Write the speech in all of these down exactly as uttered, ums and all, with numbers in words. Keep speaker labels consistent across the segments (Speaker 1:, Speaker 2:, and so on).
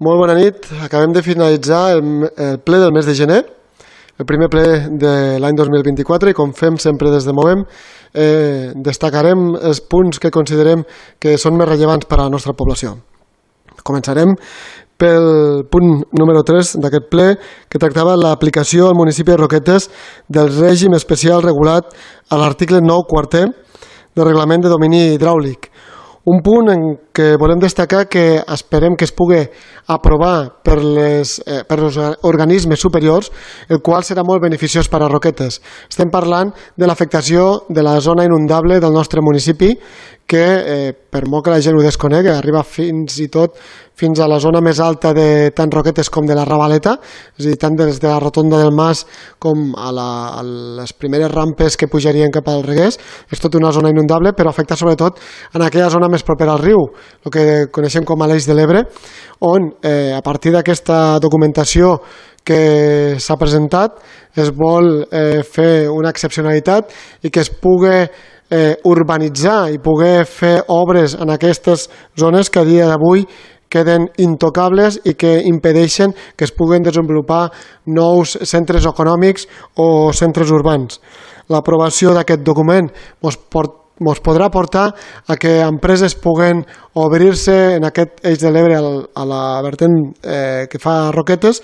Speaker 1: Molt bona nit. Acabem de finalitzar el, el ple del mes de gener, el primer ple de l'any dos mil vint-i-quatre, i com fem sempre des de Movem, eh, destacarem els punts que considerem que són més rellevants per a la nostra població. Començarem pel punt número tres d'aquest ple, que tractava l'aplicació al municipi de Roquetes del règim especial regulat a l'article nou quarter del reglament de domini hidràulic. Un punt en què volem destacar que esperem que es pugui aprovar per, les, eh, per els organismes superiors, el qual serà molt beneficiós per a Roquetes. Estem parlant de l'afectació de la zona inundable del nostre municipi, que eh, per molt que la gent ho desconegui, arriba fins i tot fins a la zona més alta de tant Roquetes com de la Ravaleta, és a dir, tant des de la rotonda del Mas com a, la, a les primeres rampes que pujarien cap al Reguers. És tota una zona inundable, però afecta sobretot en aquella zona més propera al riu, el que coneixem com a l'Eix de l'Ebre, on eh, a partir d'aquesta documentació que s'ha presentat es vol eh, fer una excepcionalitat i que es pugui eh, urbanitzar i poder fer obres en aquestes zones que a dia d'avui queden intocables i que impedeixen que es puguen desenvolupar nous centres econòmics o centres urbans. L'aprovació d'aquest document ens porta ens podrà portar a que empreses puguen obrir-se en aquest Eix de l'Ebre a la vertent eh, que fa Roquetes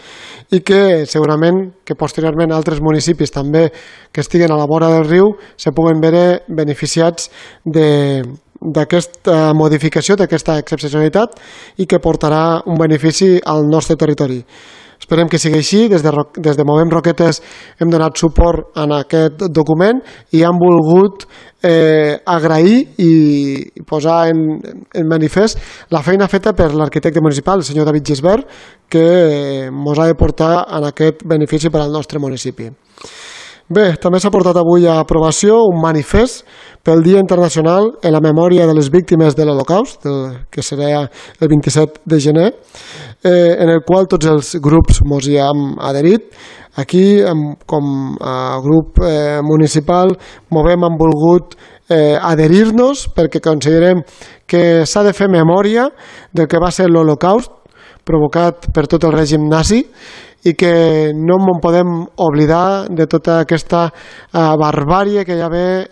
Speaker 1: i que segurament que posteriorment altres municipis també que estiguen a la vora del riu se puguen veure beneficiats de, d'aquesta modificació, d'aquesta excepcionalitat i que portarà un benefici al nostre territori. Esperem que sigui així. Des de, des de Movem Roquetes hem donat suport en aquest document i hem volgut eh, agrair i posar en, en manifest la feina feta per l'arquitecte municipal, el senyor David Gisbert, que ens eh, ha de portar en aquest benefici per al nostre municipi. Bé, també s'ha portat avui a aprovació un manifest pel Dia Internacional en la memòria de les víctimes de l'Holocaust, que serà el vint-i-set de gener, eh, en el qual tots els grups ens hi hem adherit. Aquí, com a grup eh, municipal, Movem hem volgut eh, adherir-nos perquè considerem que s'ha de fer memòria del que va ser l'Holocaust provocat per tot el règim nazi i que no en podem oblidar de tota aquesta eh, barbàrie que hi ha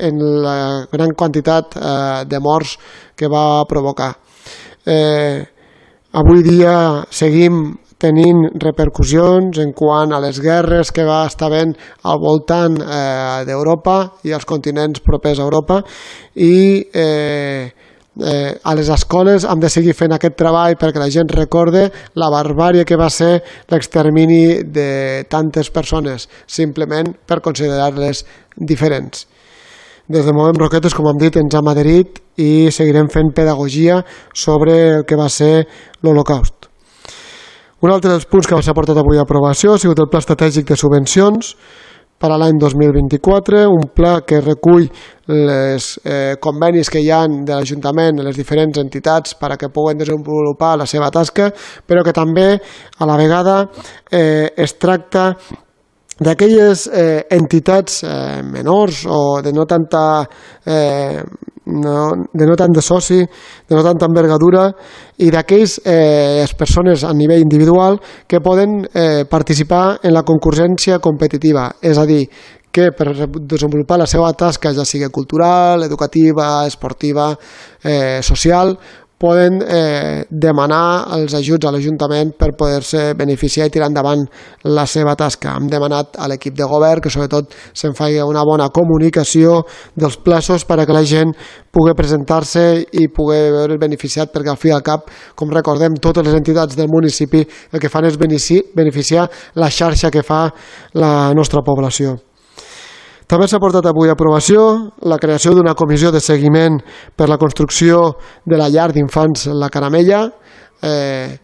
Speaker 1: en la gran quantitat eh, de morts que va provocar. Eh, avui dia seguim tenint repercussions en quant a les guerres que va estar havent al voltant eh, d'Europa i als continents propers a Europa i eh, Eh, a les escoles hem de seguir fent aquest treball perquè la gent recorde la barbàrie que va ser l'extermini de tantes persones, simplement per considerar-les diferents. Des de Movem Roquetes, com hem dit, ens hem adherit i seguirem fent pedagogia sobre el que va ser l'Holocaust. Un altre dels punts que s'ha portat avui a aprovació ha sigut el Pla Estratègic de Subvencions per a l'any dos mil vint-i-quatre, un pla que recull els eh, convenis que hi ha de l'Ajuntament, les diferents entitats per a que puguen desenvolupar la seva tasca, però que també a la vegada eh, es tracta d'aquelles eh, entitats eh, menors o de no tanta eh, no, de no tant de soci, de no tanta envergadura i d'aquells eh, persones a nivell individual que poden eh, participar en la concurrència competitiva, és a dir, que per desenvolupar la seva tasca, ja sigui cultural, educativa, esportiva, eh, social, poden eh, demanar els ajuts a l'Ajuntament per poder-se beneficiar i tirar endavant la seva tasca. Hem demanat a l'equip de govern que sobretot se'n faci una bona comunicació dels plaços per a que la gent pugui presentar-se i pugui veure beneficiat, perquè al fi i al cap, com recordem, totes les entitats del municipi el que fan és beneficiar la xarxa que fa la nostra població. També s'ha portat avui a aprovació la creació d'una comissió de seguiment per la construcció de la llar d'infants La Caramella, eh,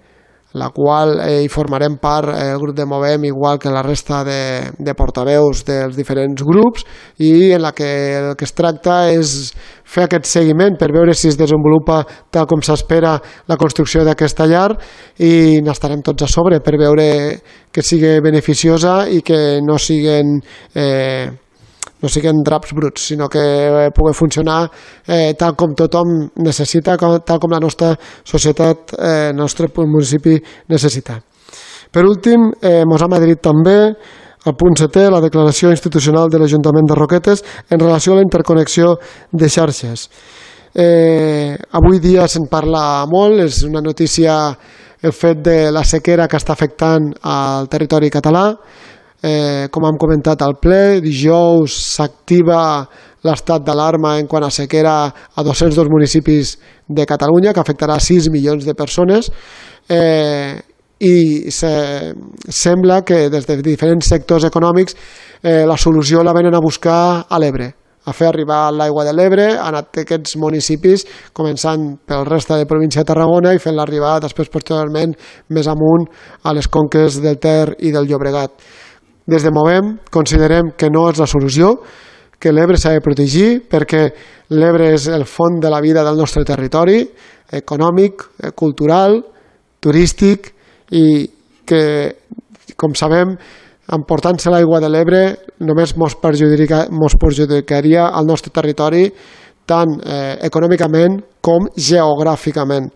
Speaker 1: la qual eh, hi formarem part el grup de Movem, igual que la resta de, de portaveus dels diferents grups, i en la que el que es tracta és fer aquest seguiment per veure si es desenvolupa tal com s'espera la construcció d'aquesta llar, i n'estarem tots a sobre per veure que sigui beneficiosa i que no siguin... Eh, no siguin draps bruts, sinó que pugui funcionar eh, tal com tothom necessita, com, tal com la nostra societat, eh, el nostre municipi necessita. Per últim, eh, mos ha madrit també el punt setè, la declaració institucional de l'Ajuntament de Roquetes en relació a la interconnexió de xarxes. Eh, avui dia se'n parla molt, és una notícia el fet de la sequera que està afectant al territori català. Eh, com hem comentat al ple, dijous s'activa l'estat d'alarma en quant a sequera a dos-cents dos municipis de Catalunya, que afectarà sis milions de persones, eh, i se, sembla que des de diferents sectors econòmics eh, la solució la venen a buscar a l'Ebre, a fer arribar l'aigua de l'Ebre a aquests municipis, començant pel resta de província de Tarragona i fent-la arribar després posteriorment més amunt a les conques del Ter i del Llobregat. Des de Movem considerem que no és la solució, que l'Ebre s'ha de protegir perquè l'Ebre és el font de la vida del nostre territori, econòmic, cultural, turístic, i que, com sabem, emportant-se l'aigua de l'Ebre només mos perjudica, mos perjudicaria al nostre territori tant eh, econòmicament com geogràficament.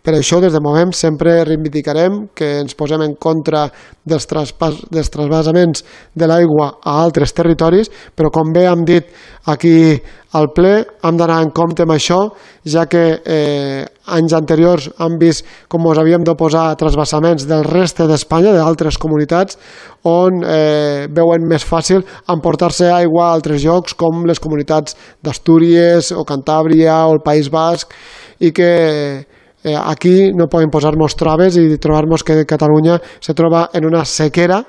Speaker 1: Per això, des de Movem, sempre reivindicarem que ens posem en contra dels, traspàs, dels trasbasaments de l'aigua a altres territoris, però com bé hem dit aquí al ple, hem d'anar en compte amb això, ja que eh, anys anteriors hem vist com ens havíem d'oposar a trasbasaments del reste d'Espanya, d'altres comunitats, on eh, veuen més fàcil emportar-se aigua a altres llocs, com les comunitats d'Astúries o Cantàbria o el País Basc, i que Eh, aquí no poden posar-nos traves i trobar-nos que Catalunya se troba en una sequera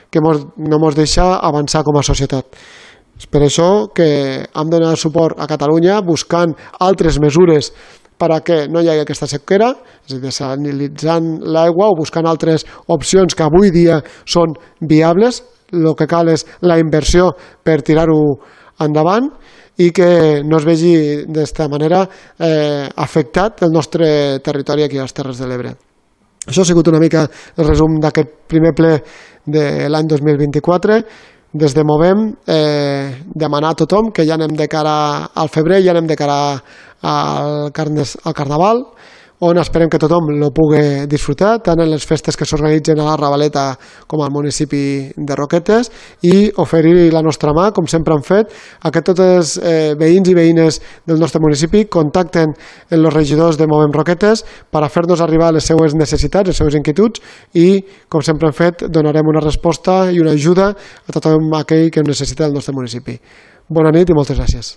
Speaker 1: que mos, no ens deixa avançar com a societat. És per això que hem de donar suport a Catalunya buscant altres mesures perquè no hi hagi aquesta sequera, és a dir, desalinitzant l'aigua o buscant altres opcions que avui dia són viables. El que cal és la inversió per tirar-ho endavant i que no es vegi d'esta manera eh, afectat el nostre territori aquí a les Terres de l'Ebre. Això ha sigut una mica el resum d'aquest primer ple de l'any dos mil vint-i-quatre. Des de Movem eh, demanar a tothom que ja anem de cara al febrer, ja anem de cara al, carnes, al Carnaval, on esperem que tothom el pugui disfrutar, tant en les festes que s'organitzen a la Ravaleta com al municipi de Roquetes, i oferir la nostra mà, com sempre hem fet, a que tots els eh, veïns i veïnes del nostre municipi contacten amb els regidors de Movem Roquetes per a fer-nos arribar les seues necessitats, les seues inquietuds, i, com sempre hem fet, donarem una resposta i una ajuda a tothom aquell que necessita del nostre municipi. Bona nit i moltes gràcies.